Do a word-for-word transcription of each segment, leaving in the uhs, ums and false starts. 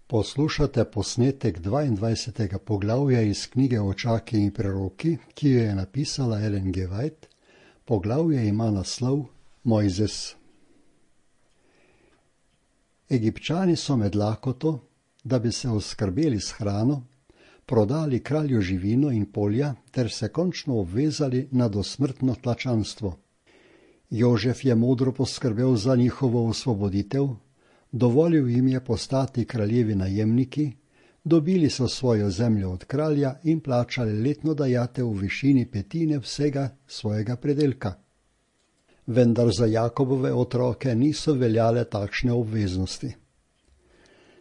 Poslušate posnetek dvaindvajsetega poglavja iz knjige Očaki in preroki, ki jo je napisala Ellen G. White. Poglavje ima naslov Mojzes. Egipčani so med lakoto, da bi se oskrbeli s hrano, prodali kralju živino in polja ter se končno obvezali na dosmrtno tlačanstvo. Jožef je modro poskrbel za njihovo osvoboditev, dovolil jim je postati kraljevi najemniki, dobili so svojo zemljo od kralja in plačali letno dajatev v višini petine vsega svojega predelka. Vendar za Jakobove otroke niso veljale takšne obveznosti.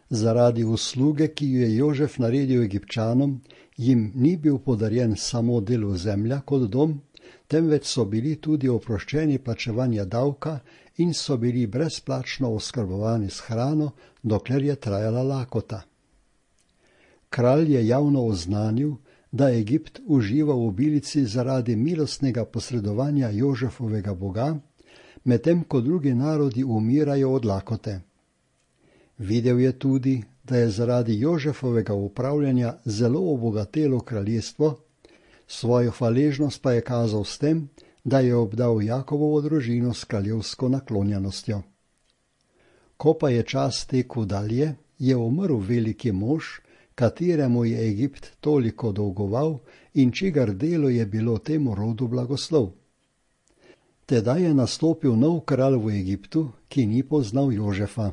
Zaradi usluge, ki jo je Jožef naredil Egipčanom, jim ni bil podarjen samo del ozemlja kot dom, temveč so bili tudi oproščeni plačevanja davka in so bili brezplačno oskrbovani s hrano, dokler je trajala lakota. Kralj je javno oznanil, da Egipt uživa v obilici zaradi milostnega posredovanja Jožefovega Boga, medtem ko drugi narodi umirajo od lakote. Videl je tudi, da je zaradi Jožefovega upravljanja zelo obogatelo kraljestvo, svojo hvaležnost pa je kazal s tem, da je obdal Jakobovo družino s kraljevsko naklonjenostjo. Ko pa je čas tekel dalje, je umrl veliki mož, kateremu je Egipt toliko dolgoval in čigar delo je bilo temu rodu blagoslov. Tedaj je nastopil nov kralj v Egiptu, ki ni poznal Jožefa.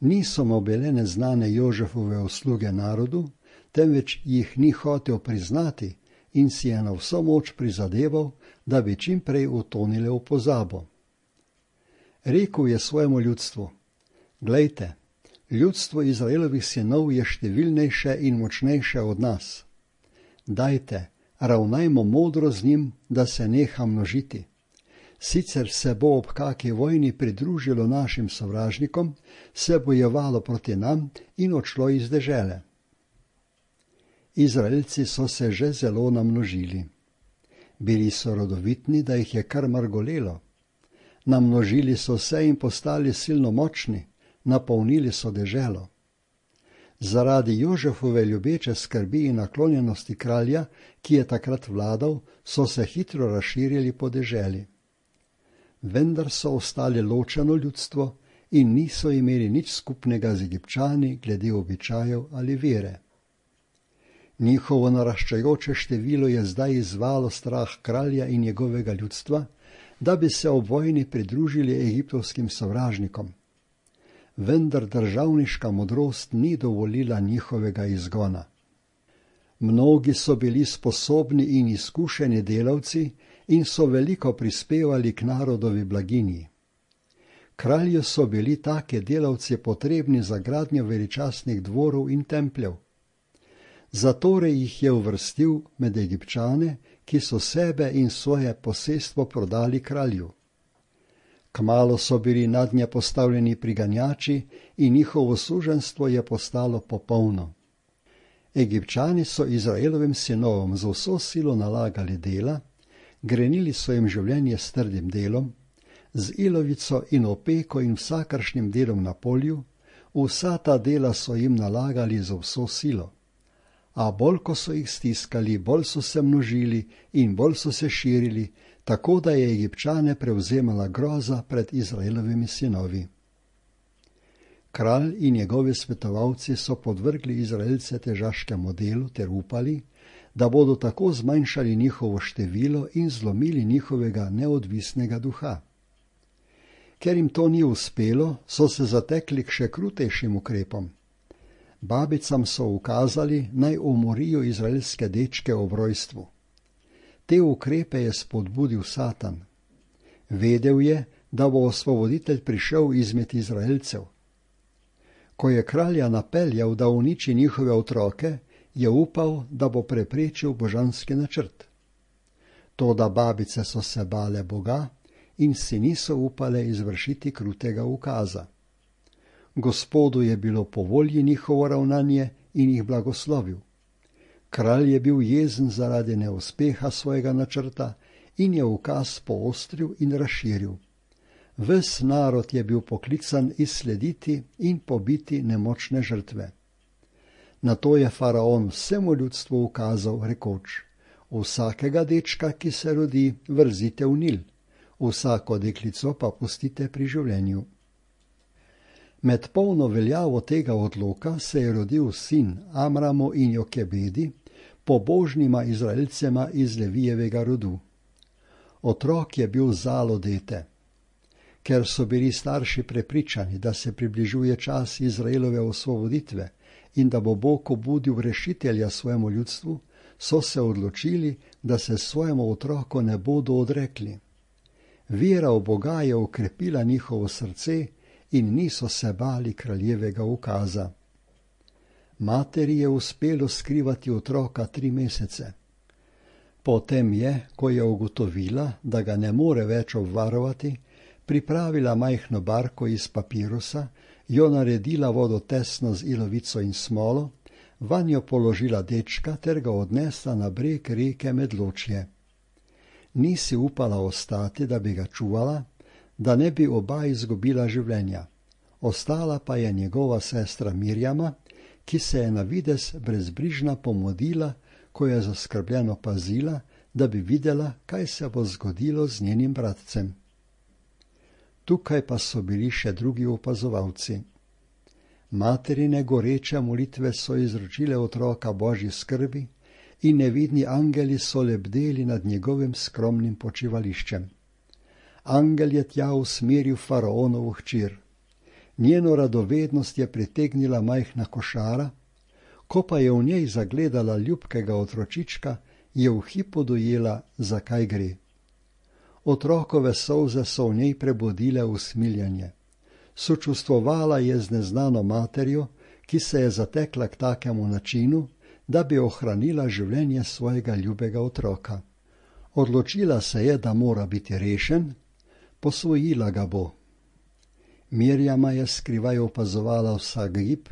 Niso mu bile neznane Jožefove usluge narodu, temveč jih ni hotel priznati in si je na vso moč prizadeval, da bi čim prej utonile v pozabo. Rekel je svojemu ljudstvu: Glejte, ljudstvo Izraelovih sinov je številnejše in močnejše od nas. Dajte, ravnajmo modro z njim, da se neha množiti. Sicer se bo ob kaki vojni pridružilo našim sovražnikom, se bojevalo proti nam in odšlo iz dežele. Izraelci so se že zelo namnožili. Bili so rodovitni, da jih je kar mrgolelo. Namnožili so se in postali silno močni, napolnili so deželo. Zaradi Jožefove ljubeče skrbi in naklonjenosti kralja, ki je takrat vladal, so se hitro razširili po deželi. Vendar so ostali ločeno ljudstvo in niso imeli nič skupnega z Egipčani glede običajev ali vere. Njihovo naraščajoče število je zdaj izzvalo strah kralja in njegovega ljudstva, da bi se ob vojni pridružili egiptovskim sovražnikom. Vendar državniška modrost ni dovolila njihovega izgona. Mnogi so bili sposobni in izkušeni delavci in so veliko prispevali k narodovi blaginji. Kralju so bili take delavci potrebni za gradnjo veličastnih dvorov in templjev. Zatorej jih je uvrstil med Egipčane, ki so sebe in svoje posestvo prodali kralju. Kmalu so bili nadnje postavljeni priganjači in njihovo suženstvo je postalo popolno. Egipčani so Izraelovim sinovom z vso silo nalagali dela, grenili so jim življenje s trdim delom, z ilovico in opeko in vsakršnim delom na polju, vsa ta dela so jim nalagali z vso silo. A bolj ko so jih stiskali, bolj so se množili in bolj so se širili, tako da je Egipčane prevzemala groza pred Izraelovimi sinovi. Kralj in njegovi svetovalci so podvrgli Izraelce težaškemu delu ter upali, da bodo tako zmanjšali njihovo število in zlomili njihovega neodvisnega duha. Ker jim to ni uspelo, so se zatekli k še krutejšim ukrepom. Babicam so ukazali, naj umorijo izraelske dečke ob rojstvu. Te ukrepe je spodbudil Satan. Vedel je, da bo osvoboditelj prišel izmed Izraelcev. Ko je kralja napeljal, da uniči njihove otroke, je upal, da bo preprečil božanski načrt. Toda babice so se bale Boga in si niso upale izvršiti krutega ukaza. Gospodu je bilo po volji njihovo ravnanje in jih blagoslovil. Kralj je bil jezen zaradi neuspeha svojega načrta in je ukaz poostril in razširil. Ves narod je bil poklican izslediti in pobiti nemočne žrtve. Nato je faraon vsemu ljudstvu ukazal, rekoč: vsakega dečka, ki se rodi, vrzite v Nil, vsako deklico pa pustite pri življenju. Med polno veljavo tega odloka se je rodil sin Amramu in Jokebedi, pobožnima Izraelcema iz Levijevega rodu. Otrok je bil zalo dete. Ker so bili starši prepričani, da se približuje čas Izraelove osvoboditve in da bo Bog obudil rešitelja svojemu ljudstvu, so se odločili, da se svojemu otroku ne bodo odrekli. Vera v Boga je okrepila njihovo srce in niso se bali kraljevega ukaza. Materi je uspelo skrivati otroka tri mesece. Potem je, ko je ugotovila, da ga ne more več obvarovati, pripravila majhno barko iz papirusa, jo naredila vodotesno z ilovico in smolo, vanjo položila dečka ter ga odnesla na breg reke Medločje. Ni si upala ostati, da bi ga čuvala, da ne bi oba izgubila življenja. Ostala pa je njegova sestra Mirjama, ki se je na videz brezbrižna pomodila, ko je zaskrbljeno pazila, da bi videla, kaj se bo zgodilo z njenim bratcem. Tukaj pa so bili še drugi opazovalci. Materine goreče molitve so izročile otroka Božji skrbi in nevidni angeli so lebdeli nad njegovim skromnim počivališčem. Angel je tja usmeril faraonovo hčer. Njeno radovednost je pritegnila majhna košara, ko pa je v njej zagledala ljubkega otročička, je v hipu dojela, zakaj gre. Otrokove solze so v njej prebudile usmiljanje. Sočustvovala je z neznano materjo, ki se je zatekla k takemu načinu, da bi ohranila življenje svojega ljubega otroka. Odločila se je, da mora biti rešen, posvojila ga bo. Mirjama je skrivaj opazovala vsak gib,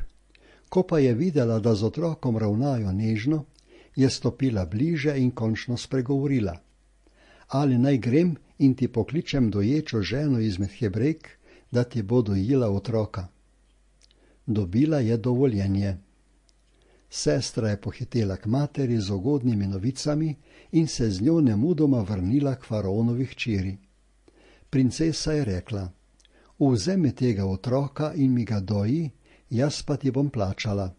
ko pa je videla, da z otrokom ravnajo nežno, je stopila bliže in končno spregovorila. Ali naj grem in ti pokličem doječo ženo izmed Hebrejk, da ti bo dojila otroka? Dobila je dovoljenje. Sestra je pohitela k materi z ugodnimi novicami in se z njo nemudoma vrnila k faraonovi hčeri. Princesa je rekla: vzemi tega otroka in mi ga doji, jaz pa ti bom plačala.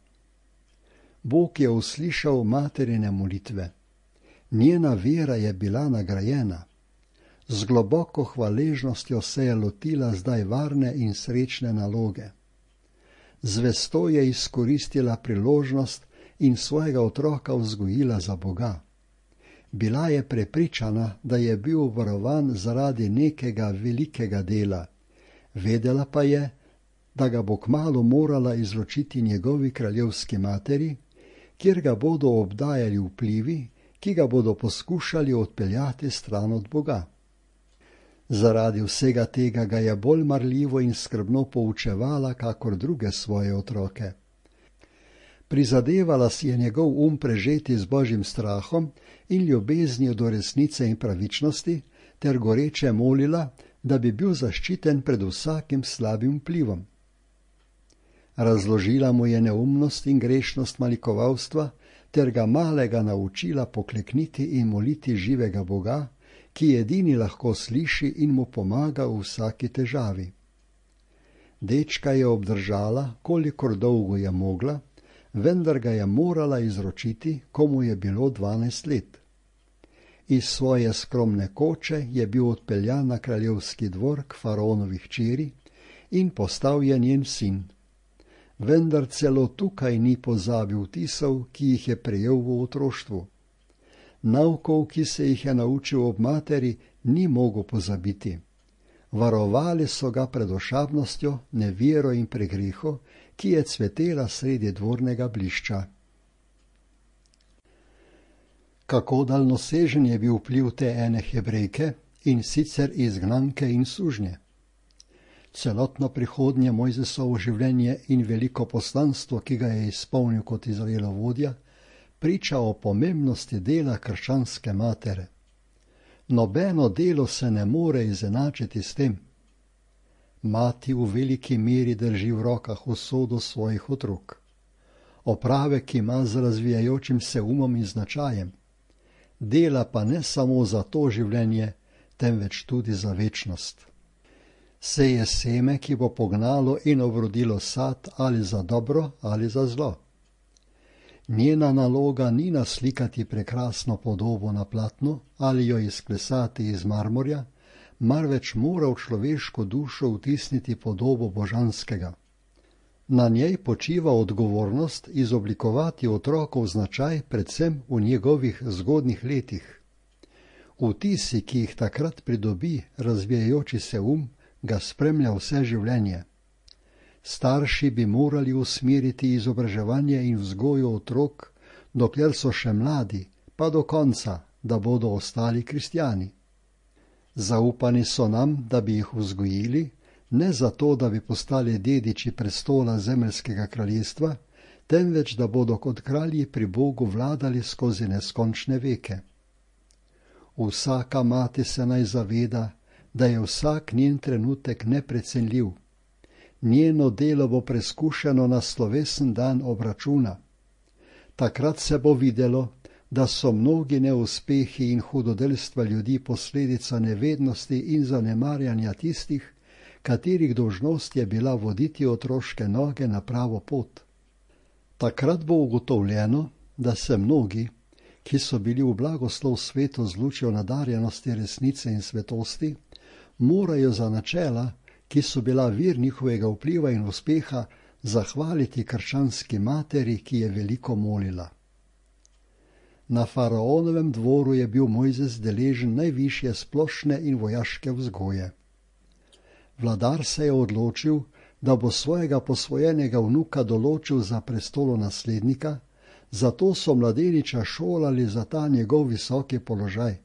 Bog je uslišal materine molitve. Njena vera je bila nagrajena. Z globoko hvaležnostjo se je lotila zdaj varne in srečne naloge. Zvesto je izkoristila priložnost in svojega otroka vzgojila za Boga. Bila je prepričana, da je bil varovan zaradi nekega velikega dela. Vedela pa je, da ga bo kmalu morala izročiti njegovi kraljevski materi, kjer ga bodo obdajali vplivi, ki ga bodo poskušali odpeljati stran od Boga. Zaradi vsega tega ga je bolj marljivo in skrbno poučevala, kakor druge svoje otroke. Prizadevala si je njegov um prežeti z Božjim strahom in ljubeznijo do resnice in pravičnosti, ter goreče molila, da bi bil zaščiten pred vsakim slabim vplivom. Razložila mu je neumnost in grešnost malikovalstva, ter ga malega naučila poklekniti in moliti živega Boga, ki edini lahko sliši in mu pomaga v vsaki težavi. Dečka je obdržala, kolikor dolgo je mogla, vendar ga je morala izročiti, ko mu je bilo dvanajst let. Iz svoje skromne koče je bil odpeljan na kraljevski dvor k faraonovi hčeri in postal je njen sin. Vendar celo tukaj ni pozabil vtisov, ki jih je prejel v otroštvu. Naukov, ki se jih je naučil ob materi, ni mogel pozabiti. Varovali so ga pred ošabnostjo, nevero in pregreho, ki je cvetela sredi dvornega blišča. Kako daljnosežen je bil vpliv te ene Hebrejke, in sicer izgnanke in sužnje. Celotno prihodnje Mojzesovo življenje in veliko poslanstvo, ki ga je izpolnil kot Izraelov vodja, priča o pomembnosti dela krščanske matere. Nobeno delo se ne more izenačiti s tem. Mati v veliki meri drži v rokah usodo svojih otrok. Opravek ima z razvijajočim se umom in značajem. Dela pa ne samo za to življenje, temveč tudi za večnost. Seje seme, ki bo pognalo in obrodilo sad ali za dobro ali za zlo. Njena naloga ni naslikati prekrasno podobo na platnu ali jo izklesati iz marmorja, marveč mora v človeško dušo vtisniti podobo božanskega. Na njej počiva odgovornost izoblikovati otrokov značaj predvsem v njegovih zgodnjih letih. Vtisi, ki jih takrat pridobi razvijajoči se um, ga spremlja vse življenje. Starši bi morali usmeriti izobraževanje in vzgojo otrok, dokler so še mladi, pa do konca, da bodo ostali kristjani. Zaupani so nam, da bi jih vzgojili, ne zato, da bi postali dediči prestola zemeljskega kraljestva, temveč da bodo kot kralji pri Bogu vladali skozi neskončne veke. Vsaka mati se naj zaveda, da je vsak njen trenutek neprecenljiv. Njeno delo bo preskušeno na slovesen dan obračuna. Takrat se bo videlo, da so mnogi neuspehi in hudodelstva ljudi posledica nevednosti in zanemarjanja tistih, katerih dolžnost je bila voditi otroške noge na pravo pot. Takrat bo ugotovljeno, da se mnogi, ki so bili v blagoslov svetu z lučjo nadarjenosti resnice in svetosti, morajo za načela, ki so bila vir njihovega vpliva in uspeha, zahvaliti krščanski materi, ki je veliko molila. Na faraonovem dvoru je bil Mojzes deležen najvišje splošne in vojaške vzgoje. Vladar se je odločil, da bo svojega posvojenega vnuka določil za prestolonaslednika, zato so mladeniča šolali za ta njegov visoki položaj.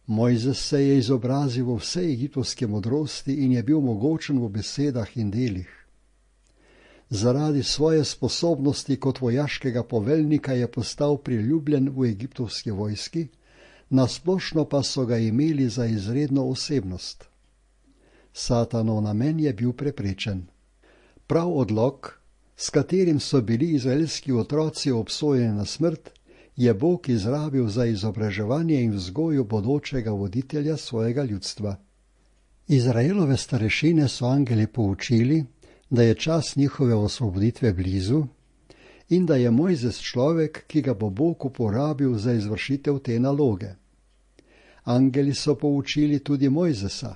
Mojzes se je izobrazil v vsej egiptovski modrosti in je bil mogočen v besedah in delih. Zaradi svoje sposobnosti kot vojaškega poveljnika je postal priljubljen v egiptovski vojski, nasplošno pa so ga imeli za izredno osebnost. Satanov namen je bil preprečen. Prav odlok, s katerim so bili izraelski otroci obsojeni na smrt, je Bog izrabil za izobraževanje in vzgojo bodočega voditelja svojega ljudstva. Izraelove starešine so angeli poučili, da je čas njihove osvoboditve blizu in da je Mojzes človek, ki ga bo Bog uporabil za izvršitev te naloge. Angeli so poučili tudi Mojzesa,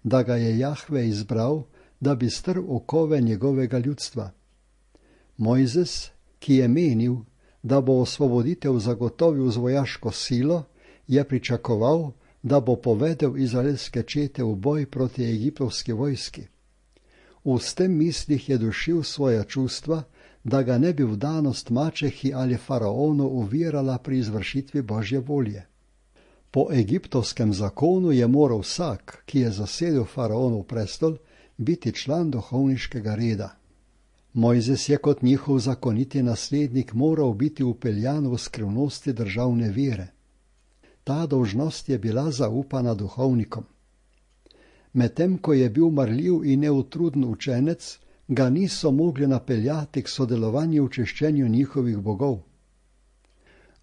da ga je Jahve izbral, da bi strl okove njegovega ljudstva. Mojzes, ki je menil, da bo osvoboditev zagotovil z vojaško silo, je pričakoval, da bo povedel izraelske čete v boj proti egiptovski vojski. V s tem mislih je dušil svoja čustva, da ga ne bi vdanost mačehi ali faraonu ovirala pri izvršitvi Božje volje. Po egiptovskem zakonu je moral vsak, ki je zasedel faraonov prestol, biti član duhovniškega reda. Mojzes je kot njihov zakoniti naslednik moral biti vpeljan v skrivnosti državne vere. Ta dolžnost je bila zaupana duhovnikom. Medtem ko je bil marljiv in neutruden učenec, ga niso mogli napeljati k sodelovanju v češčenju njihovih bogov.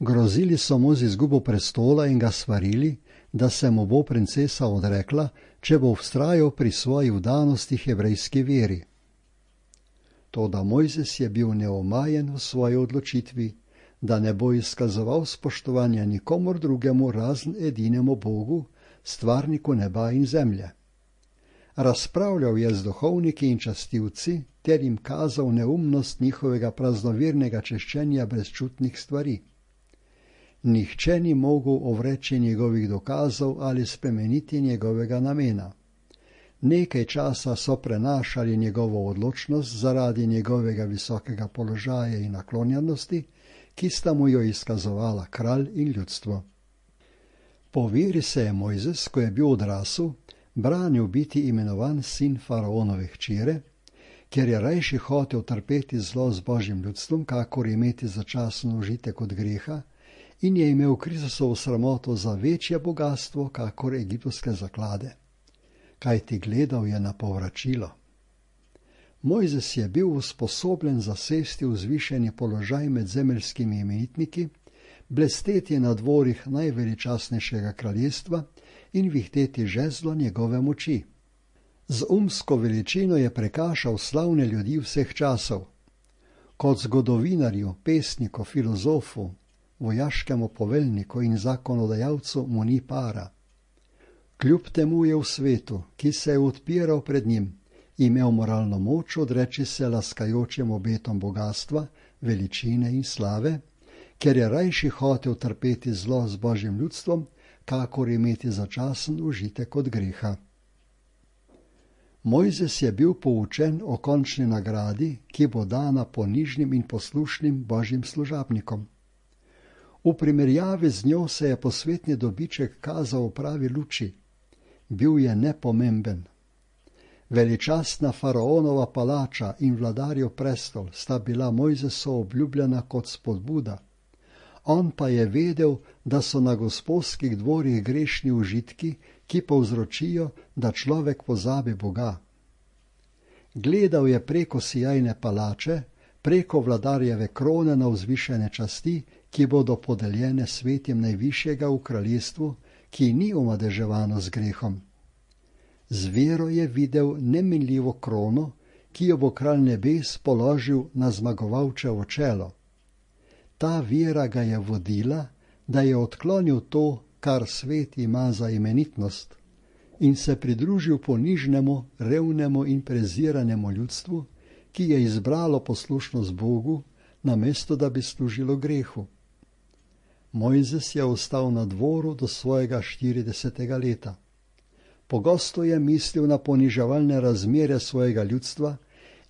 Grozili so mu z izgubo prestola in ga svarili, da se mu bo princesa odrekla, če bo vztrajal pri svoji vdanosti hebrejski veri. Toda Mojzes je bil neomajen v svoji odločitvi, da ne bo izkazoval spoštovanja nikomur drugemu razen edinemu Bogu, stvarniku neba in zemlje. Razpravljal je z duhovniki in častilci ter jim kazal neumnost njihovega praznovirnega češčenja brezčutnih stvari. Nihče ni mogel ovreči njegovih dokazov ali spremeniti njegovega namena. Nekaj časa so prenašali njegovo odločnost zaradi njegovega visokega položaja in naklonjenosti, ki sta mu jo izkazovala kralj in ljudstvo. Po veri se je Mojzes, ko je bil odrasel, branil biti imenovan sin faraonove hčere, ker je rajši hotel trpeti zlo z Božjim ljudstvom, kakor imeti začasen užitek od greha, in je imel Kristusovo sramoto za večje bogastvo, kakor egiptovske zaklade. kajti gledal je na povračilo. Mojzes je bil usposobljen zasesti vzvišeni položaj med zemeljskimi imenitniki, blesteti na dvorih najveličastnejšega kraljestva in vihteti žezlo njegove moči. Z umsko veličino je prekašal slavne ljudi vseh časov. Kot zgodovinarju, pesniku, filozofu, vojaškemu poveljniku in zakonodajalcu mu ni para. Kljub temu je v svetu, ki se je odpiral pred njim, imel moralno moč odreči se laskajočim obetom bogatstva, veličine in slave, ker je rajši hotel trpeti zlo z Božjim ljudstvom, kakor imeti začasen užitek od greha. Mojzes je bil poučen o končni nagradi, ki bo dana ponižnim in poslušnim Božjim služabnikom. V primerjavi z njo se je posvetni dobiček kazal v pravi luči. Bil je nepomemben. Veličastna faraonova palača in vladarjev prestol sta bila Mojzesu obljubljena kot spodbuda. On pa je vedel, da so na gospodskih dvorih grešni užitki, ki povzročijo, da človek pozabi Boga. Gledal je preko sijajne palače, preko vladarjeve krone na vzvišene časti, ki bodo podeljene svetim najvišjega v kraljestvu, ki ni omadeževano z grehom. Z vero je videl neminljivo krono, ki jo bo kralj nebes položil na zmagovalčevo čelo. Ta vera ga je vodila, da je odklonil to, kar svet ima za imenitnost, in se pridružil ponižnemu, revnemu in preziranemu ljudstvu, ki je izbralo poslušnost Bogu, namesto da bi služilo grehu. Mojzes je ostal na dvoru do svojega štiridesetega leta. Pogosto je mislil na poniževalne razmere svojega ljudstva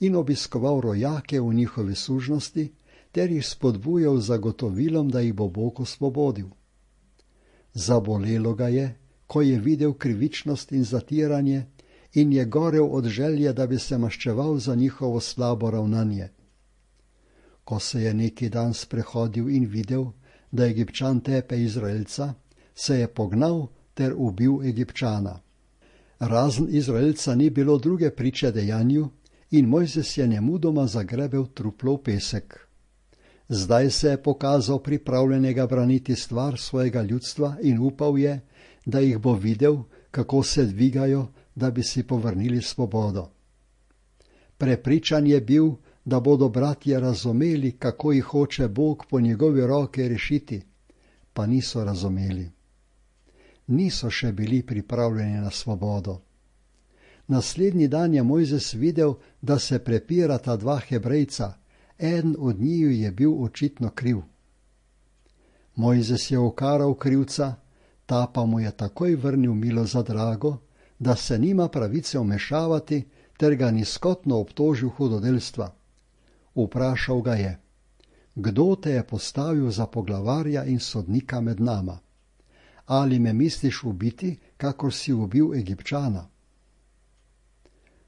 in obiskoval rojake v njihovi služnosti, ter jih spodbujal z zagotovilom, da jih bo Bog osvobodil. Zabolelo ga je, ko je videl krivičnost in zatiranje in je gorel od želje, da bi se maščeval za njihovo slabo ravnanje. Ko se je neki dan sprehodil in videl, da Egipčan tepe Izraelca, se je pognal ter ubil Egipčana. Razen Izraelca ni bilo druge priče dejanju in Mojzes je nemudoma zagrebel truplo v pesek. Zdaj se je pokazal pripravljenega braniti stvar svojega ljudstva in upal je, da jih bo videl, kako se dvigajo, da bi si povrnili svobodo. Prepričan je bil, da bodo bratje razumeli, kako jih hoče Bog po njegovi roke rešiti, pa niso razumeli. Niso še bili pripravljeni na svobodo. Naslednji dan je Mojzes videl, da se prepirata dva Hebrejca, eden od njiju je bil očitno kriv. Mojzes je ukaral krivca, ta pa mu je takoj vrnil milo za drago, da se nima pravice vmešavati, ter ga nizkotno obtožil hudodelstva. Vprašal ga je: kdo te je postavil za poglavarja in sodnika med nama? Ali me misliš ubiti, kakor si ubil Egipčana?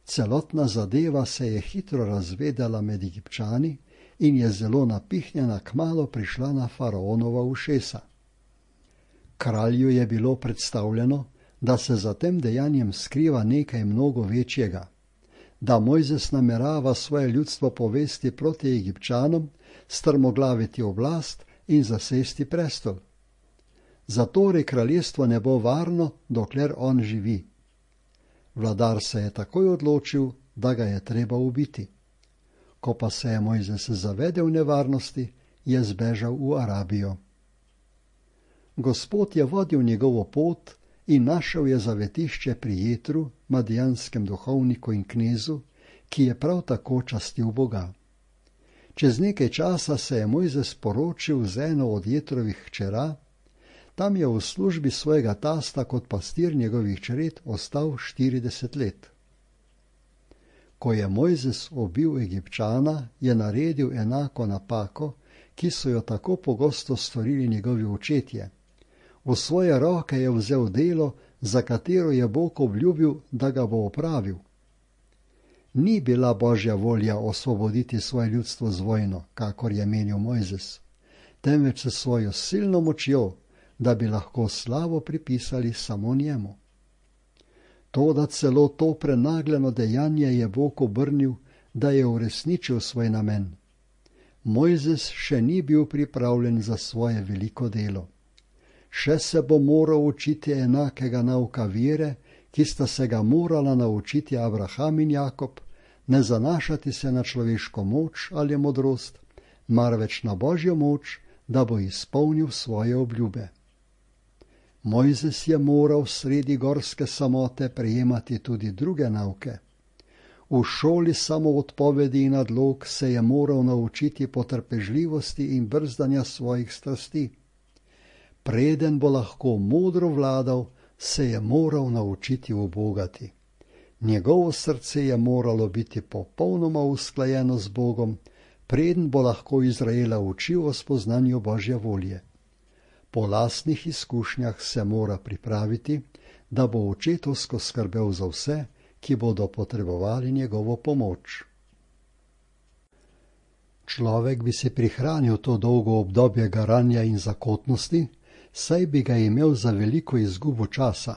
Celotna zadeva se je hitro razvedela med Egipčani in je zelo napihnjena kmalu prišla na faraonova ušesa. Kralju je bilo predstavljeno, da se za tem dejanjem skriva nekaj mnogo večjega, da Mojzes namerava svoje ljudstvo povesti proti Egipčanom, strmoglaviti oblast in zasesti prestol. Zatorej kraljestvo ne bo varno, dokler on živi. Vladar se je takoj odločil, da ga je treba ubiti. Ko pa se je Mojzes zavedel nevarnosti, je zbežal v Arabijo. Gospod je vodil njegovo pot in našel je zavetišče pri Jetru, madijanskem duhovniku in knezu, ki je prav tako častil Boga. Čez nekaj časa se je Mojzes poročil z eno od Jetrovih hčera. Tam je v službi svojega tasta kot pastir njegovih čred ostal štirideset let. Ko je Mojzes ubil Egipčana, je naredil enako napako, ki so jo tako pogosto storili njegovi očetje. V svoje roke je vzel delo, za katero je Bog obljubil, da ga bo opravil. Ni bila Božja volja osvoboditi svoje ljudstvo z vojno, kakor je menil Mojzes, temveč s svojo silno močjo, da bi lahko slavo pripisali samo njemu. Toda celo to prenagljeno dejanje je Bog obrnil, da je uresničil svoj namen. Mojzes še ni bil pripravljen za svoje veliko delo. Še se bo moral učiti enakega nauka vere, ki sta se ga morala naučiti Abraham in Jakob, ne zanašati se na človeško moč ali modrost, marveč na Božjo moč, da bo izpolnil svoje obljube. Mojzes je moral sredi gorske samote prejemati tudi druge nauke. V šoli samoodpovedi in nadlog se je moral naučiti potrpežljivosti in brzdanja svojih strasti. Preden bo lahko modro vladal, se je moral naučiti ubogati. Njegovo srce je moralo biti popolnoma usklajeno z Bogom, preden bo lahko Izraela učil o spoznanju Božje volje. Po lastnih izkušnjah se mora pripraviti, da bo očetovsko skrbel za vse, ki bodo potrebovali njegovo pomoč. Človek bi si prihranil to dolgo obdobje garanja in zakotnosti, saj bi ga imel za veliko izgubo časa.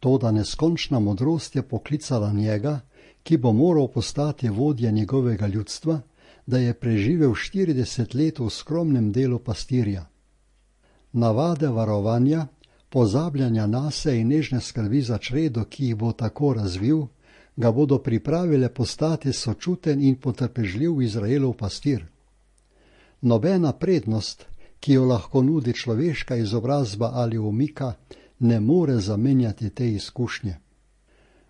Toda neskončna modrost je poklicala njega, ki bo moral postati vodja njegovega ljudstva, da je preživel štirideset let v skromnem delu pastirja. Navade varovanja, pozabljanja nase in nežne skrbi za čredo, ki jih bo tako razvil, ga bodo pripravile postati sočuten in potrpežljiv Izraelov pastir. Nobena prednost, ki jo lahko nudi človeška izobrazba ali umika, ne more zamenjati te izkušnje.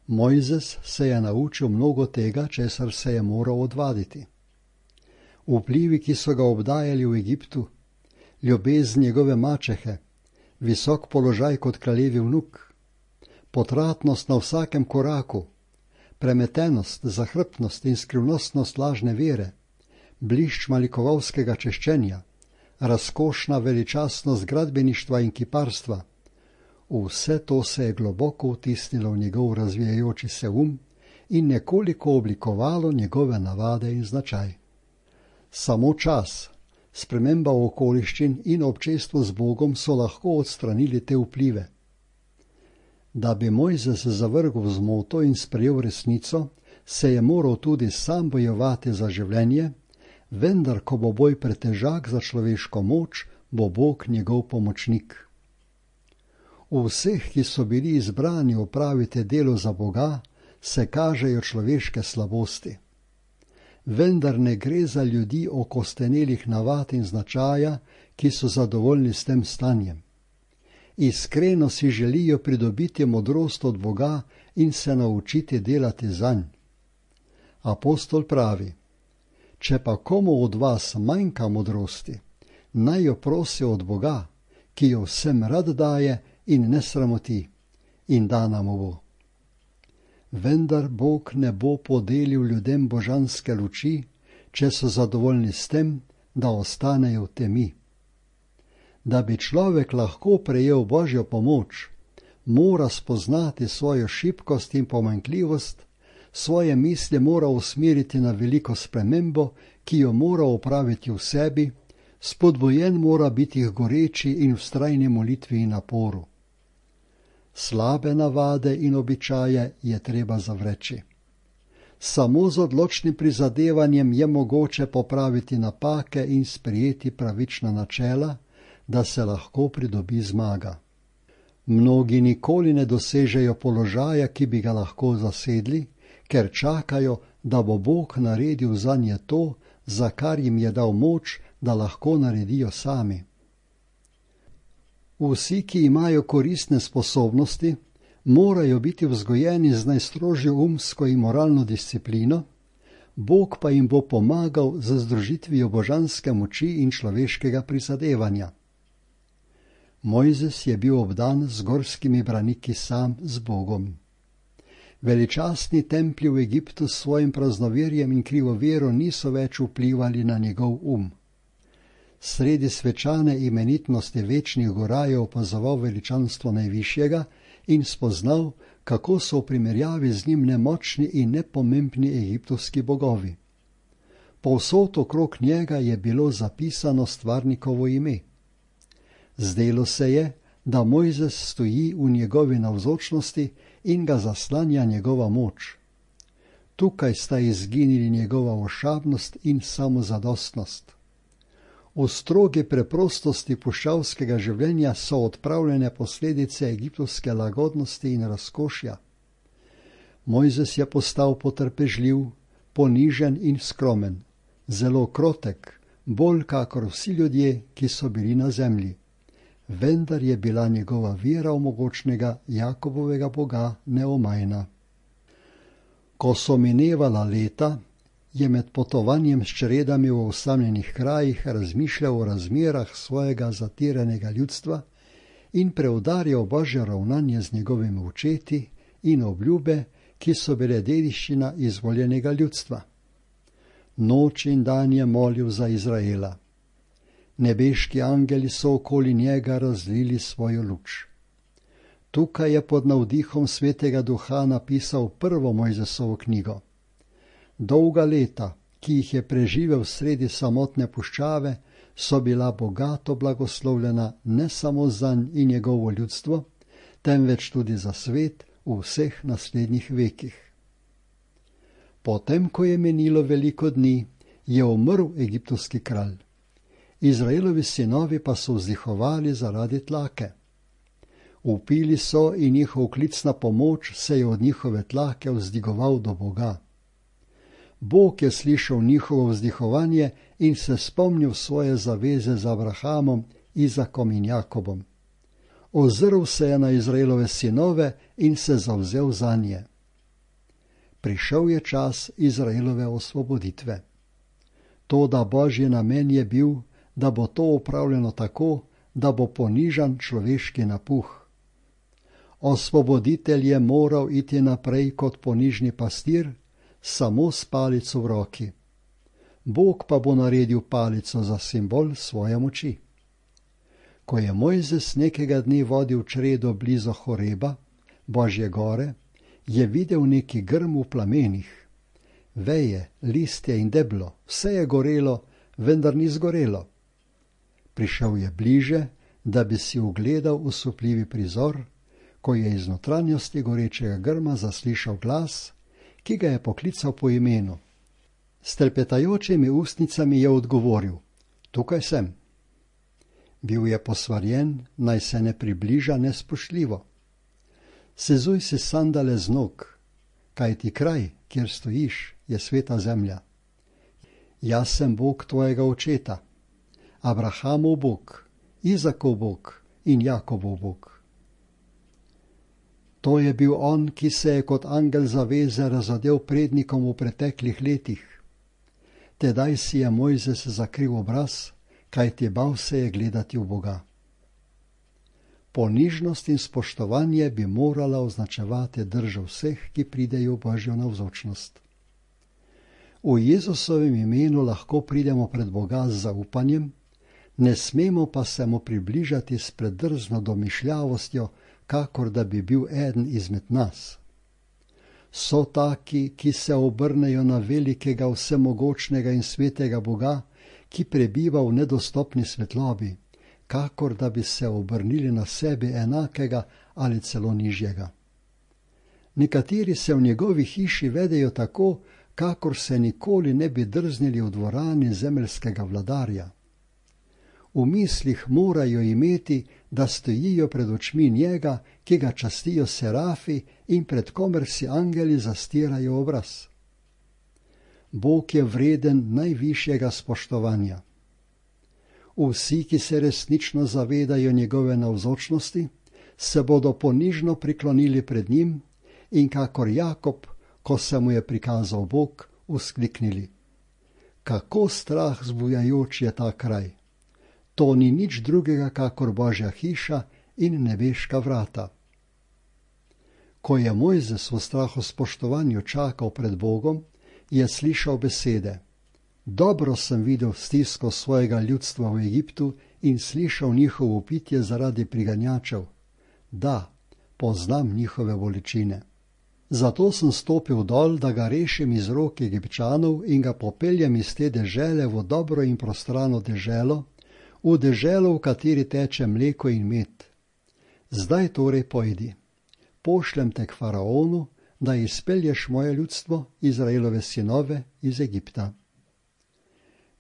Mojzes se je naučil mnogo tega, česar se je moral odvaditi. Vplivi, ki so ga obdajali v Egiptu, ljubezen njegove mačehe, visok položaj kot kraljevi vnuk, potratnost na vsakem koraku, premetenost, zahrbtnost in skrivnostnost lažne vere, blišč malikovalskega češčenja, razkošna veličastnost gradbeništva in kiparstva. Vse to se je globoko vtisnilo v njegov razvijajoči se um in nekoliko oblikovalo njegove navade in značaj. Samo čas, sprememba okoliščin in občestvo z Bogom so lahko odstranili te vplive. Da bi Mojzes zavrgel zmoto in sprejel resnico, se je moral tudi sam bojevati za življenje, vendar ko bo boj pretežak za človeško moč, bo Bog njegov pomočnik. V vseh, ki so bili izbrani opraviti delo za Boga, se kažejo človeške slabosti. Vendar ne gre za ljudi okostenelih navad in značaja, ki so zadovoljni s tem stanjem. Iskreno si želijo pridobiti modrost od Boga in se naučiti delati zanj. Apostol pravi: če pa komu od vas manjka modrosti, naj jo prosi od Boga, ki jo vsem rad daje in ne sramoti, in dana mu bo. Vendar Bog ne bo podelil ljudem božanske luči, če so zadovoljni s tem, da ostanejo v temi. Da bi človek lahko prejel Božjo pomoč, mora spoznati svojo šibkost in pomanjkljivost, svoje misli mora usmeriti na veliko spremembo, ki jo mora opraviti v sebi, spodbujen mora biti k goreči in vztrajni molitvi in naporu. Slabe navade in običaje je treba zavreči. Samo z odločnim prizadevanjem je mogoče popraviti napake in sprijeti pravična načela, da se lahko pridobi zmaga. Mnogi nikoli ne dosežejo položaja, ki bi ga lahko zasedli, ker čakajo, da bo Bog naredil zanje to, za kar jim je dal moč, da lahko naredijo sami. Vsi, ki imajo koristne sposobnosti, morajo biti vzgojeni z najstrožjo umsko in moralno disciplino, Bog pa jim bo pomagal z združitvijo božanske moči in človeškega prizadevanja. Mojzes je bil obdan z gorskimi braniki sam z Bogom. Veličastni templji v Egiptu s svojim praznoverjem in krivovero niso več vplivali na njegov um. Sredi svečane imenitnosti večnih gora je opazoval veličanstvo najvišjega in spoznal, kako so v primerjavi z njim nemočni in nepomembni egiptovski bogovi. Povsod okrog njega je bilo zapisano stvarnikovo ime. Zdelo se je, da Mojzes stoji v njegovi navzočnosti in ga zaslanja njegova moč. Tukaj sta izginili njegova ošabnost in samozadostnost. V strogi preprostosti puščavskega življenja so odpravljene posledice egiptovske lagodnosti in razkošja. Mojzes je postal potrpežljiv, ponižen in skromen, zelo krotek, bolj kakor vsi ljudje, ki so bili na zemlji. Vendar je bila njegova vera v mogočnega Jakobovega Boga neomajna. Ko so minevala leta, je med potovanjem s čredami v osamljenih krajih razmišljal o razmerah svojega zatiranega ljudstva in preudarjal Božje ravnanje z njegovimi očeti in obljube, ki so bile dediščina izvoljenega ljudstva. Noč in dan je molil za Izraela. Nebeški angeli so okoli njega razlili svojo luč. Tukaj je pod navdihom Svetega Duha napisal prvo Mojzesovo knjigo. Dolga leta, ki jih je preživel sredi samotne puščave, so bila bogato blagoslovljena ne samo zanj in njegovo ljudstvo, temveč tudi za svet v vseh naslednjih vekih. Potem, ko je menilo veliko dni, je umrl egiptovski kralj. Izraelovi sinovi pa so vzdihovali zaradi tlake. Vpili so in njihov klic na pomoč se je od njihove tlake vzdigoval do Boga. Bog je slišal njihovo vzdihovanje in se spomnil svoje zaveze z Abrahamom, Izakom in Jakobom. Ozrl se je na Izraelove sinove in se zavzel zanje. Prišel je čas Izraelove osvoboditve. Toda Božji namen je bil, da bo to opravljeno tako, da bo ponižan človeški napuh. Osvoboditelj je moral iti naprej kot ponižni pastir, samo s palico v roki. Bog pa bo naredil palico za simbol svoje moči. Ko je Mojzes nekega dne vodil čredo blizu Horeba, Božje gore, je videl neki grm v plamenih. Veje, listje in deblo, vse je gorelo, vendar ni zgorelo. Prišel je bliže, da bi si ugledal osupljivi prizor, ko je iz notranjosti gorečega grma zaslišal glas, ki ga je poklical po imenu. S trepetajočimi ustnicami je odgovoril: Tukaj sem. Bil je posvarjen, naj se ne približa nespoštljivo. Sezuj si sandale z nog, kajti kraj, kjer stojiš, je sveta zemlja. Jaz sem Bog tvojega očeta, Abrahamov Bog, Izakov Bog in Jakobov Bog. To je bil on, ki se je kot angel zaveze razodel prednikom v preteklih letih. Tedaj si je Mojzes zakril obraz, kajti bal se je gledati v Boga. Ponižnost in spoštovanje bi morala označevati držo vseh, ki pridejo v Božjo navzočnost. V Jezusovem imenu lahko pridemo pred Boga z zaupanjem, ne smemo pa se mu približati s predrzno domišljavostjo, kakor da bi bil eden izmed nas. So taki, ki se obrnejo na velikega, vsemogočnega in svetega Boga, ki prebiva v nedostopni svetlobi, kakor da bi se obrnili na sebi enakega ali celo nižjega. Nekateri se v njegovi hiši vedejo tako, kakor se nikoli ne bi drznili v dvorani zemeljskega vladarja. V mislih morajo imeti, da stojijo pred očmi njega, ki ga častijo serafi in pred komer si angeli zastirajo obraz. Bog je vreden najvišjega spoštovanja. Vsi, ki se resnično zavedajo njegove navzočnosti, se bodo ponižno priklonili pred njim in kakor Jakob, ko se mu je prikazal Bog, vzkliknili: Kako strah zbujajoč je ta kraj! To ni nič drugega kakor Božja hiša in nebeška vrata. Ko je Mojzes v strahospoštovanju čakal pred Bogom, je slišal besede: Dobro sem videl stisko svojega ljudstva v Egiptu in slišal njihovo pitje zaradi priganjačev. Da, poznam njihove bolečine. Zato sem stopil dol, da ga rešim iz rok Egipčanov in ga popeljem iz te dežele v dobro in prostrano deželo, v deželo, v kateri teče mleko in med. Zdaj torej pojdi. pošljem te k faraonu, da izpelješ moje ljudstvo, Izraelove sinove, iz Egipta.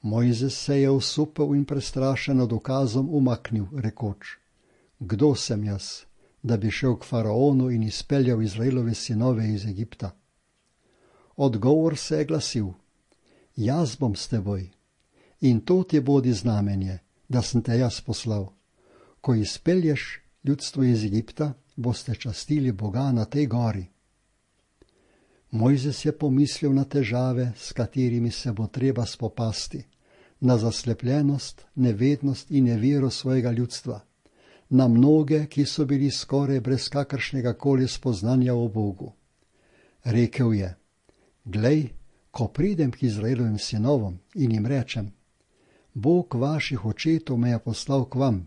Mojzes se je osupel in prestrašen nad ukazom umaknil, rekoč: Kdo sem jaz, da bi šel k faraonu in izpeljal Izraelove sinove iz Egipta? Odgovor se je glasil: Jaz bom s teboj, in to ti bodi znamenje, da sem te jaz poslal. Ko izpelješ ljudstvo iz Egipta, boste častili Boga na tej gori. Mojzes je pomislil na težave, s katerimi se bo treba spopasti, na zaslepljenost, nevednost in nevero svojega ljudstva, na mnoge, ki so bili skoraj brez kakršnega koli spoznanja o Bogu. Rekel je: Glej, ko pridem k Izraelovim sinovom in jim rečem: Bog vaših očetov me je poslal k vam,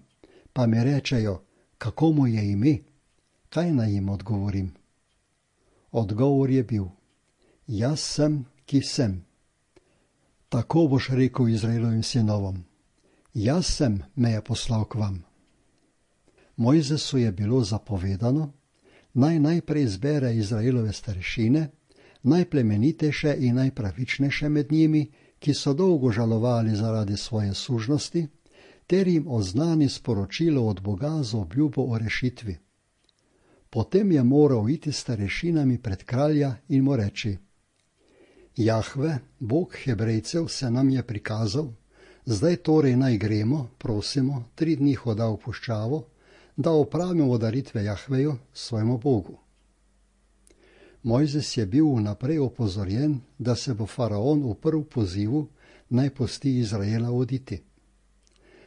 pa mi rečejo, kako mu je ime, kaj naj jim odgovorim? Odgovor je bil: Jaz sem, ki sem. Tako boš rekel Izraelovim sinovom: Jaz sem, me je poslal k vam. Mojzesu je bilo zapovedano, naj najprej zbere Izraelove starešine, najplemenitejše in najpravičnejše med njimi, ki so dolgo žalovali zaradi svoje sužnosti, ter jim oznani sporočilo od Boga z obljubo o rešitvi. Potem je moral iti starešinami pred kralja in mu reči: Jahve, Bog Hebrejcev, se nam je prikazal, zdaj torej naj gremo, prosimo, tri dni hoda v puščavo, da opravimo daritve Jahveju, svojemu Bogu. Mojzes je bil vnaprej opozorjen, da se bo faraon uprl pozivu, naj pusti Izraela oditi.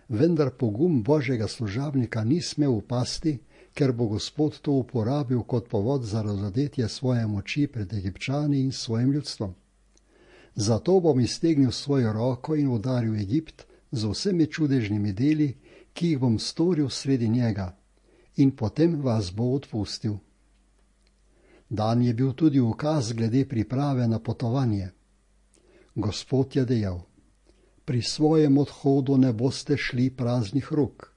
Vendar pogum Božjega služabnika ni smel upasti, ker bo Gospod to uporabil kot povod za razodetje svoje moči pred Egipčani in svojim ljudstvom. Zato bom iztegnil svojo roko in udaril Egipt z vsemi čudežnimi deli, ki jih bom storil sredi njega, in potem vas bo odpustil. Dan je bil tudi ukaz glede priprave na potovanje. Gospod je dejal: Pri svojem odhodu ne boste šli praznih rok.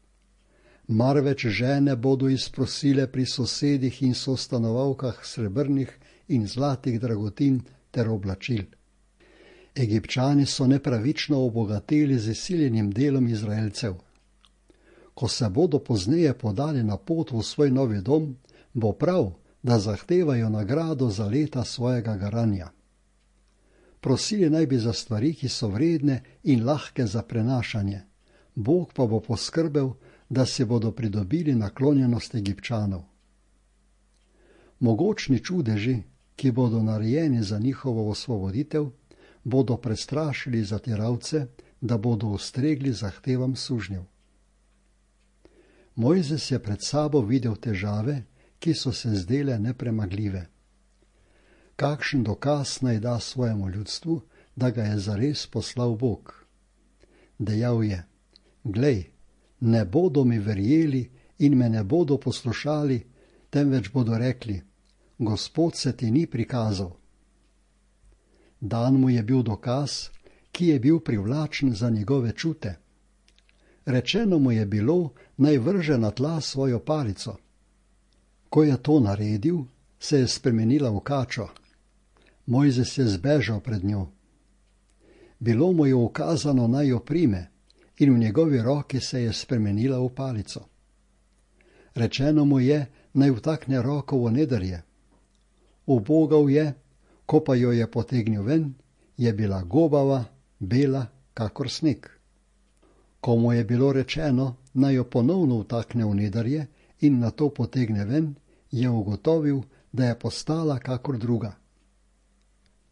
Marveč žene bodo izprosile pri sosedih in sostanovalkah srebrnih in zlatih dragotin ter oblačil. Egipčani so nepravično obogateli z izsiljenim delom Izraelcev. Ko se bodo pozneje podali na pot v svoj novi dom, bo prav, da zahtevajo nagrado za leta svojega garanja. Prosili naj bi za stvari, ki so vredne in lahke za prenašanje, Bog pa bo poskrbel, da se bodo pridobili naklonjenost Egipčanov. Mogočni čudeži, ki bodo narejeni za njihovo osvoboditev, bodo prestrašili zatiralce, da bodo ustregli zahtevam sužnjev. Mojzes je pred sabo videl težave, ki so se zdele nepremagljive. Kakšen dokaz naj da svojemu ljudstvu, da ga je zares poslal Bog? Dejal je: Glej, ne bodo mi verjeli in me ne bodo poslušali, temveč bodo rekli: Gospod se ti ni prikazal. Dan mu je bil dokaz, ki je bil privlačen za njegove čute. Rečeno mu je bilo, naj vrže na tla svojo palico. Ko je to naredil, se je spremenila v kačo. Mojzes je zbežal pred njo. Bilo mu je ukazano, naj jo prime, in v njegovi roki se je spremenila v palico. Rečeno mu je, naj vtakne roko v nedrje. Ubogal je, ko pa jo je potegnil ven, je bila gobava, bela, kakor sneg. Ko mu je bilo rečeno, naj jo ponovno vtakne v nedrje in nato potegne ven, je ugotovil, da je postala kakor druga.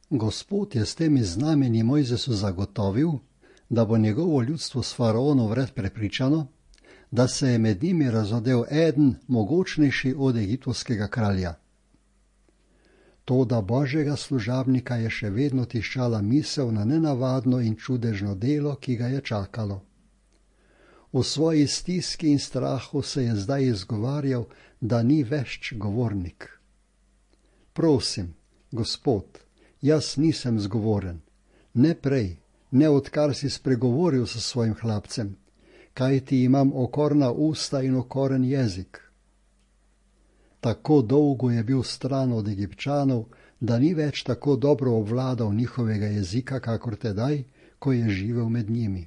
Gospod je s temi znamenji Mojzesu zagotovil, da bo njegovo ljudstvo s faraonom vred prepričano, da se je med njimi razodel eden mogočnejši od egiptovskega kralja. Toda Božjega služabnika je še vedno tiščala misel na nenavadno in čudežno delo, ki ga je čakalo. V svoji stiski in strahu se je zdaj izgovarjal, da ni vešč govornik. Prosim, Gospod, jaz nisem zgovoren, ne prej, ne odkar si spregovoril s svojim hlapcem, kajti imam okorna usta in okoren jezik. Tako dolgo je bil stran od Egipčanov, da ni več tako dobro obvladal njihovega jezika, kakor tedaj, ko je živel med njimi.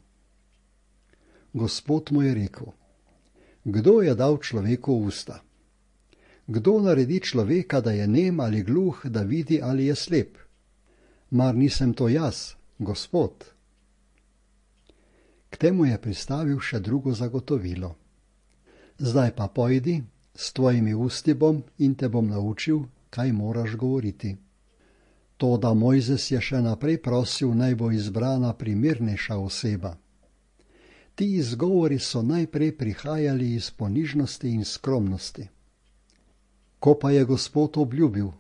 Gospod mu je rekel: Kdo je dal človeku usta? Kdo naredi človeka, da je nem ali gluh, da vidi ali je slep? Mar nisem to jaz, Gospod? K temu je pristavil še drugo zagotovilo. Zdaj pa pojdi, s tvojimi usti bom in te bom naučil, kaj moraš govoriti. Toda Mojzes je še naprej prosil, naj bo izbrana primernejša oseba. Ti izgovori so najprej prihajali iz ponižnosti in skromnosti. Ko pa je Gospod obljubil,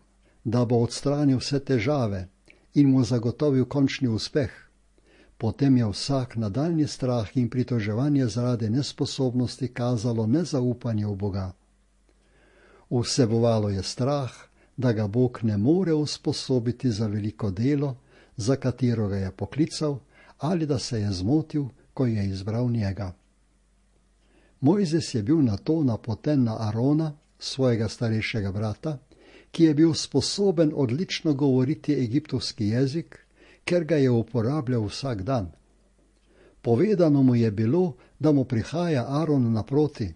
da bo odstranil vse težave in mu zagotovil končni uspeh, potem je vsak nadaljnji strah in pritoževanje zaradi nesposobnosti kazalo nezaupanje v Boga. Vsebovalo je strah, da ga Bog ne more usposobiti za veliko delo, za katero ga je poklical, ali da se je zmotil, ko je izbral njega. Mojzes je bil nato napoten na Arona, svojega starejšega brata, ki je bil sposoben odlično govoriti egiptovski jezik, ker ga je uporabljal vsak dan. Povedano mu je bilo, da mu prihaja Aron naproti.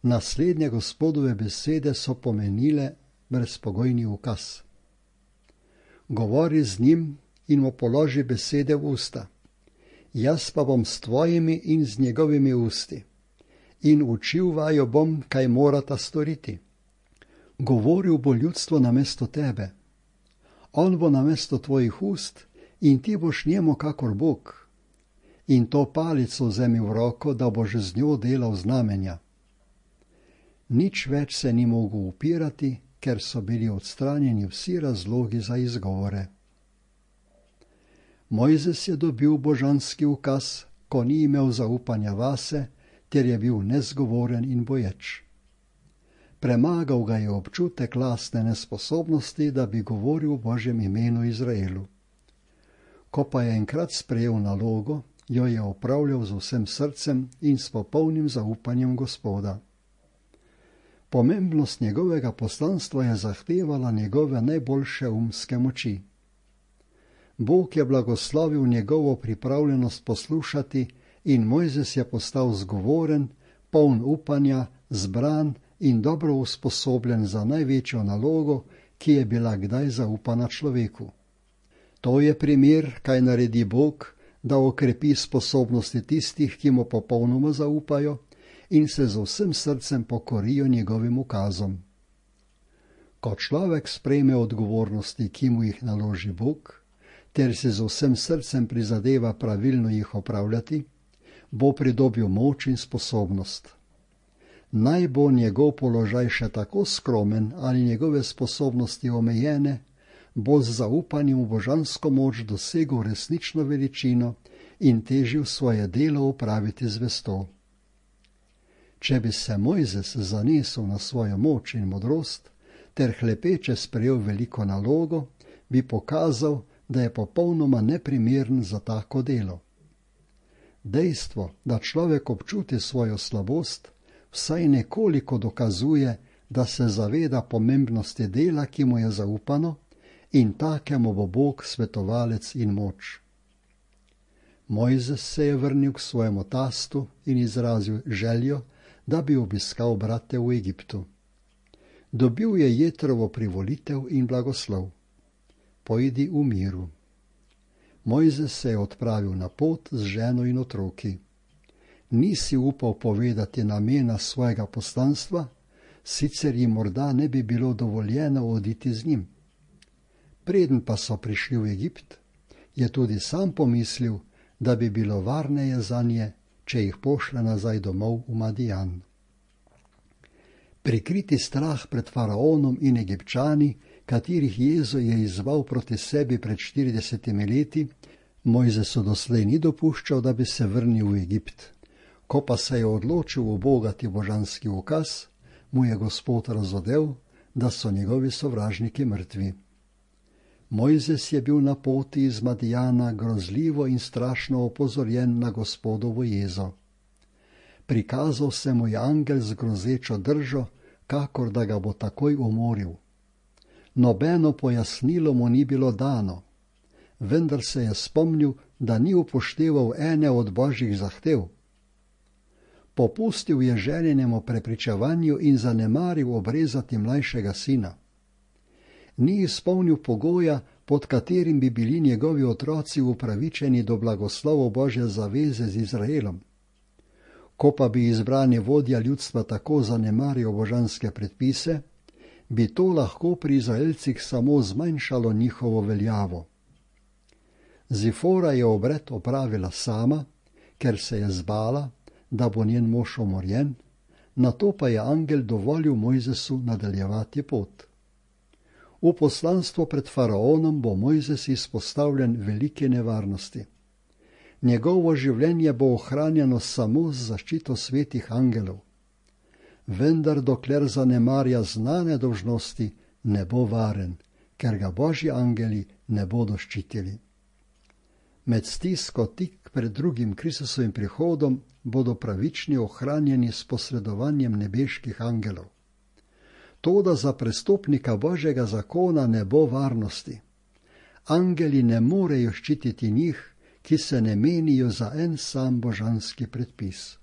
Naslednje Gospodove besede so pomenile brezpogojni ukaz. Govori z njim in mu položi besede v usta. Jaz pa bom s tvojimi in z njegovimi usti. In učil vaju bom, kaj morata storiti. Govoril bo ljudstvo namesto tebe. On bo namesto tvojih ust in ti boš njemu kakor Bog. In to palico vzemi v roko, da boš z njo delal znamenja. Nič več se ni mogel upirati, ker so bili odstranjeni vsi razlogi za izgovore. Mojzes je dobil božanski ukaz, ko ni imel zaupanja vase, ter je bil nezgovoren in boječ. Premagal ga je občutek lastne nesposobnosti, da bi govoril v Božjem imenu Izraelu. Ko pa je enkrat sprejel nalogo, jo je opravljal z vsem srcem in s popolnim zaupanjem Gospoda. Pomembnost njegovega poslanstva je zahtevala njegove najboljše umske moči. Bog je blagoslovil njegovo pripravljenost poslušati in Mojzes je postal zgovoren, poln upanja, zbran in dobro usposobljen za največjo nalogo, ki je bila kdaj zaupana človeku. To je primer, kaj naredi Bog, da okrepi sposobnosti tistih, ki mu popolnoma zaupajo in se z vsem srcem pokorijo njegovim ukazom. Ko človek sprejme odgovornosti, ki mu jih naloži Bog, ter se z vsem srcem prizadeva pravilno jih opravljati, bo pridobil moč in sposobnost. Naj bo njegov položaj še tako skromen ali njegove sposobnosti omejene, bo z zaupanjem v božansko moč dosegel resnično veličino in težil svoje delo opraviti zvesto. Če bi se Mojzes zanesel na svojo moč in modrost, ter hlepeče sprejel veliko nalogo, bi pokazal, da je popolnoma neprimeren za tako delo. Dejstvo, da človek občuti svojo slabost, vsaj nekoliko dokazuje, da se zaveda pomembnosti dela, ki mu je zaupano, in takemu bo Bog svetovalec in moč. Mojzes se je vrnil k svojemu tastu in izrazil željo, da bi obiskal brate v Egiptu. Dobil je Jetrovo privolitev in blagoslov. Pojdi v miru. Mojzes se je odpravil na pot z ženo in otroki. Nisi upal povedati namena svojega poslanstva, sicer jim morda ne bi bilo dovoljeno oditi z njim. Preden pa so prišli v Egipt, je tudi sam pomislil, da bi bilo varneje zanje, če jih pošle nazaj domov v Madijan. Prikriti strah pred faraonom in Egipčani, katerih jezo je izzval proti sebi pred štiridesetimi leti, Mojzesu doslej ni dopuščal, da bi se vrnil v Egipt. Ko pa se je odločil ubogati božanski ukaz, mu je Gospod razodel, da so njegovi sovražniki mrtvi. Mojzes je bil na poti iz Madijana grozljivo in strašno opozorjen na Gospodovo jezo. Prikazal se mu je angel z grozečo držo, kakor da ga bo takoj umoril. Nobeno pojasnilo mu ni bilo dano, vendar se je spomnil, da ni upošteval ene od božjih zahtev. Popustil je željenemu prepričevanju in zanemaril obrezati mlajšega sina. Ni izpolnil pogoja, pod katerim bi bili njegovi otroci upravičeni do blagoslovov Božje zaveze z Izraelom. Ko pa bi izbrani vodja ljudstva tako zanemaril božanske predpise, bi to lahko pri Izraelcih samo zmanjšalo njihovo veljavo. Zifora je obred opravila sama, ker se je zbala, da bo njen mož umorjen, nato pa je angel dovolil Mojzesu nadaljevati pot. V poslanstvu pred faraonom bo Mojzes izpostavljen velike nevarnosti. Njegovo življenje bo ohranjeno samo z zaščito svetih angelov. Vendar dokler zanemarja znane dolžnosti, ne bo varen, ker ga božji angeli ne bodo ščitili. Med stisko tik pred drugim Kristusovim prihodom bodo pravični ohranjeni s posredovanjem nebeških angelov. Toda za prestopnika Božjega zakona ne bo varnosti. Angeli ne morejo ščititi njih, ki se ne menijo za en sam božanski predpis.